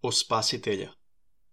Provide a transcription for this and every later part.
O Spasitelja.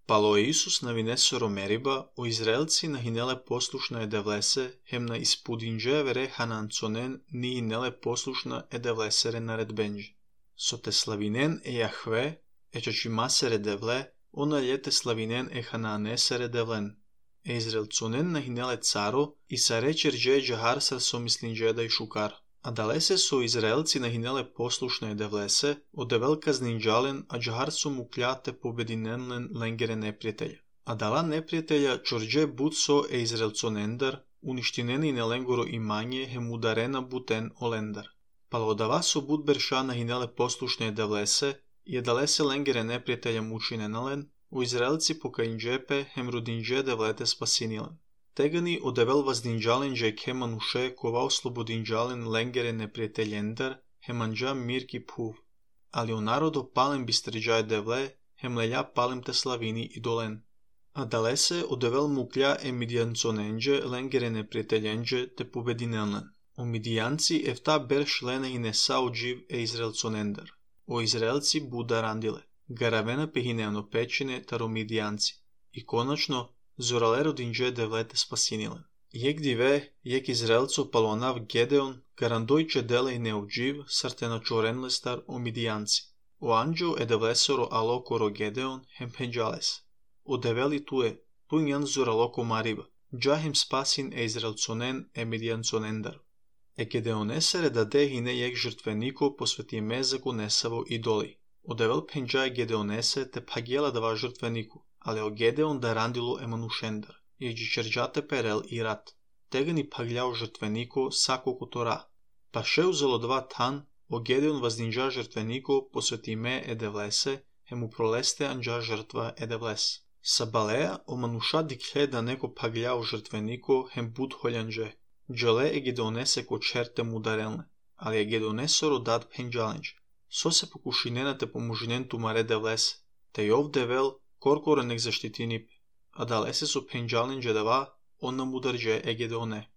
Palo Isus na Vinesoro Meriba, o Izraelci nahinele poslušna edevlese, hem na ispudinđe vere hananconen ni hinele poslušna edevlesere naredbenđe. So te slavinen Jahve, čačimasere devle, ona ljete slavinen hananesere devlen. Izraelconen nahinele caro, i sa rečerđe džaharsar so mislinđeda i šukar. A dalese su Izraelci nahinele poslušne devlese, ode velika zninđalen, a džahar su mu kljate pobedinenlen lengere neprijatelja. A dala neprijatelja čorđe butso Izraelconendar, uništineni ne lengoro imanje hem udarena buten olendar. Palo odava su budberša nahinele poslušne devlese, i dalese lengere neprijatelja mučinenalen, u Izraelci pokajnđepe hem rudinđe devlete spasinilen. Tegani odevel vazdinđalen dže kemanuše kova oslobodinđalen lengere neprijateljendar hemanđa mirki puv. Ali u narodu palem bistrđaje devle hem lelja palem te slavini idolen. A dalese odevel muklja midjanconenđe lengere neprijateljenđe te pobedinelnen. O midijanci efta berš lene i nesao dživ Izraelconendar. O Izraelci buda randile. Garavena pehineano pećine taro midijanci. I konačno zoralero dinđe devlete spasinilen. Jek dive, jek Izraelco palonav Gedeon, garandojče dele i neovdživ, sartena čorenlestar o midijanci. O anđo edevlesoro alokoro Gedeon, hem penđales. O develi tue, punjan zoraloko mariba, džahem spasin Izraelconen midijanconendar. Gedeonesere dade hine jek žrtveniko posveti mezaku nesavo idoli. O devel penđaje Gedeonese te pagijela dava žrtveniku. Ale o Gedeon da randilo emanušendar, jeđi čerđate perel i rat. Tegani pagljao žrtveniko sako kutora. Pa še uzelo dva tan, o Gedeon vazdinđa žrtveniko posveti me edevlese, hem u proleste anđa žrtva edevles. Sa baleja o manuša dikhe da neko pagljao žrtveniko hem bud holjanđe. Džale Gedeonese ko čerte mudarelne, ali Gedeonesoro dad penđalenđe. So se pokušinena te pomužinen tumare devlese, te i ovde vel, korkore nek zaštitinipe, a dalese su penđalenđe dava, ona mudarđe Gedeone.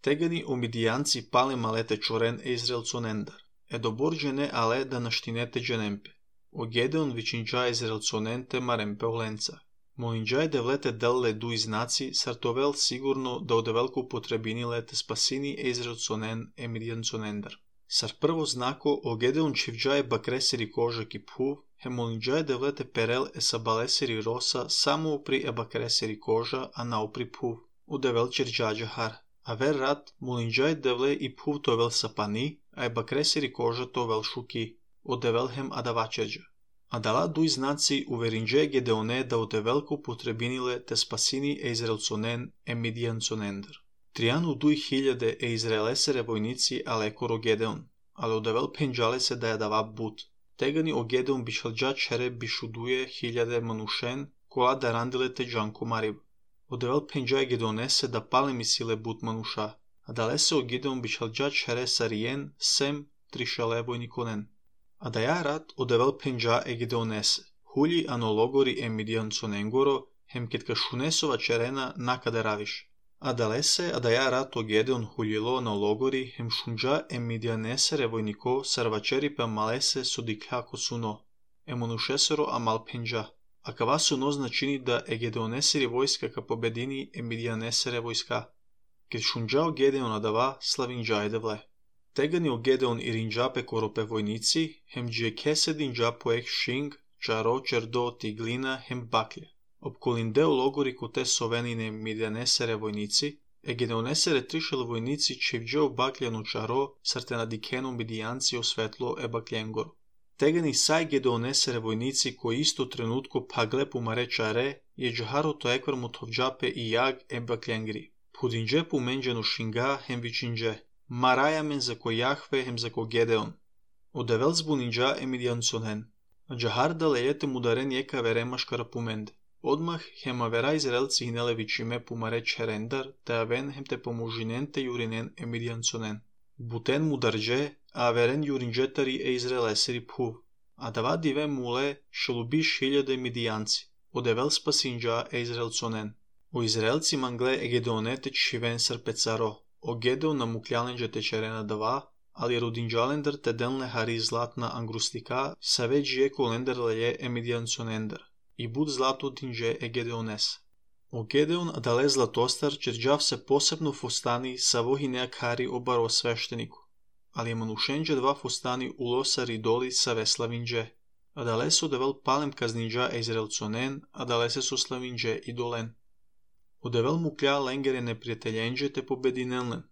Tegani o midijanci pale malete čoren Izraelconendar, doborđene ale da naštinete dženempe. O Gedeon vičinđa Izraelconente marempe olenca. Molinđaj devlete delle du iznaci, sartovel sigurno da ode velku potrebinile te spasini Izraelconen midijanconendar. Sar prvo znako o Gedeon čivđaje bakreseri kožak i puv, hemolinđaje devlete perel sa baleseri rosa samo upri bakreseri koža, a naupri puv, u devel čerđađa har. A ver rat, molinđaje devle i puv to vel sapani, a bakreseri koža to vel šuki, u devel hem adavačerđa. A dala duj znaci uverinđe Gedeone da ode velku potrebinile te spasini Izraelconen midijanconendar. Trijanu duj hiljade Izraelesere vojnici alekoro Gedeon, ale odevel penđale se da je dava but. Tegani o Gedeon bišalđa čere bišuduje hiljade manušen, kola da randile te džanko marib. Odevel penđaje Gedeonese da pale misile but manuša, a dale se o Gedeon bišalđa čere sarijen sem trišale vojnikonen. A da ja rat odevel penđa Gedeonese, hulji anologori midijanconengoro, hem ketka šunesova čerena nakada raviš. A dalese, a da ja rat o Gedeon huljilo na logori, hem šunđa midijanesere vojniko sarvačeri pa malese sodikljako suno, monušesero a mal penđa. A kava suno značini da Gedeoneseri vojska ka pobedini midijanesere vojska. Ket šunđa o Gedeona dava slavinđa edevle. Tegani o Gedeon i rinđape korope vojnici, hem džije kesedinđa poek šing, čaro čerdo tiglina hem baklje. Opkolindeo logori ko te sovenine midijanesere vojnici, Gedeonesere trišel vojnici čivđeo bakljanu čaro, sarte na dikenu midijanci osvetlo bakljengoru. Tegani saj Gedeonesere vojnici koji isto trenutko pagle pumare čare, je džaharo to ekvar mutovđape i jag bakljenggri. Pudinđe pumenđenu šinga hem vičinđe, maraja men zako Jahve hem zako Gedeon. Odevel zbuninđa midijanconen, a džahar da lejete mudaren jeka verema škara pumende. Odmah hem avera Izraelci hinele vičime pumare čerendar, te aven hem te pomužinente jurinen midijanconen. Buten mudarđe, a averen jurinđetari Izraeleseri puv. A dava dive mule šelubiš hiljade midijanci, odevel spasinđa Izraelconen. O Izraelci mangle Gedeonete čiven srpecaro, o Gedeon namukljalen te čerena dava, ali rodinjalender te denle hari zlatna angrustica, savegi ecolender leie emidiancionender, i bud zlato dinže e Gedeones. O Gedeon adale zlatostar čerđav se posebno fostani sa vohineak hari obaro svešteniku, ali je manushenđe dva fostani ulosari doli sa veslavinđe. Adale su devel palem kazninđa e izraelconen, adale se su slavinđe i dolen. Odevel mu klja lengere neprijateljenđe te pobedinelnen,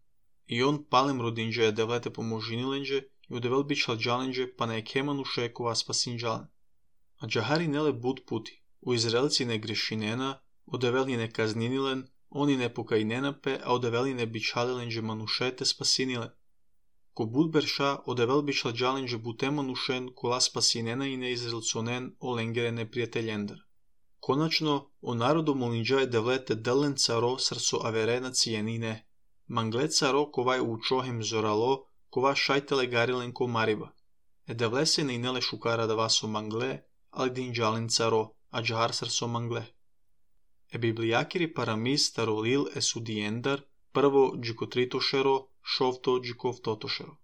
i on palem rodinđe devlete pomožinilenđe i odevel bičalđalenđe pa ne ekemanu šekova spasinđalen. A džahari nele bud puti, u Izraelci ne grešinena, odeveli ne kazninilen, oni ne pokajnenape, a odeveli ne bičalilenđe manušete spasinilen. Ko bud berša, odevel bičalđalenđe bute manušen, kola spasinena i ne izraelconen o lengere neprijateljender. Konačno, o narodu molinđa je devlete delen caro srso averena cijenine. Mangle caro kovaj učohem zoralo, kova šajtele garilen ko mariba. E devlese ne inele šukara da vaso mangle, ali dinđalen caro, a džahar srso mangle. E biblijakiri paramis tarolil e sudiendar, prvo džikotritošero, šovto džikovtotošero.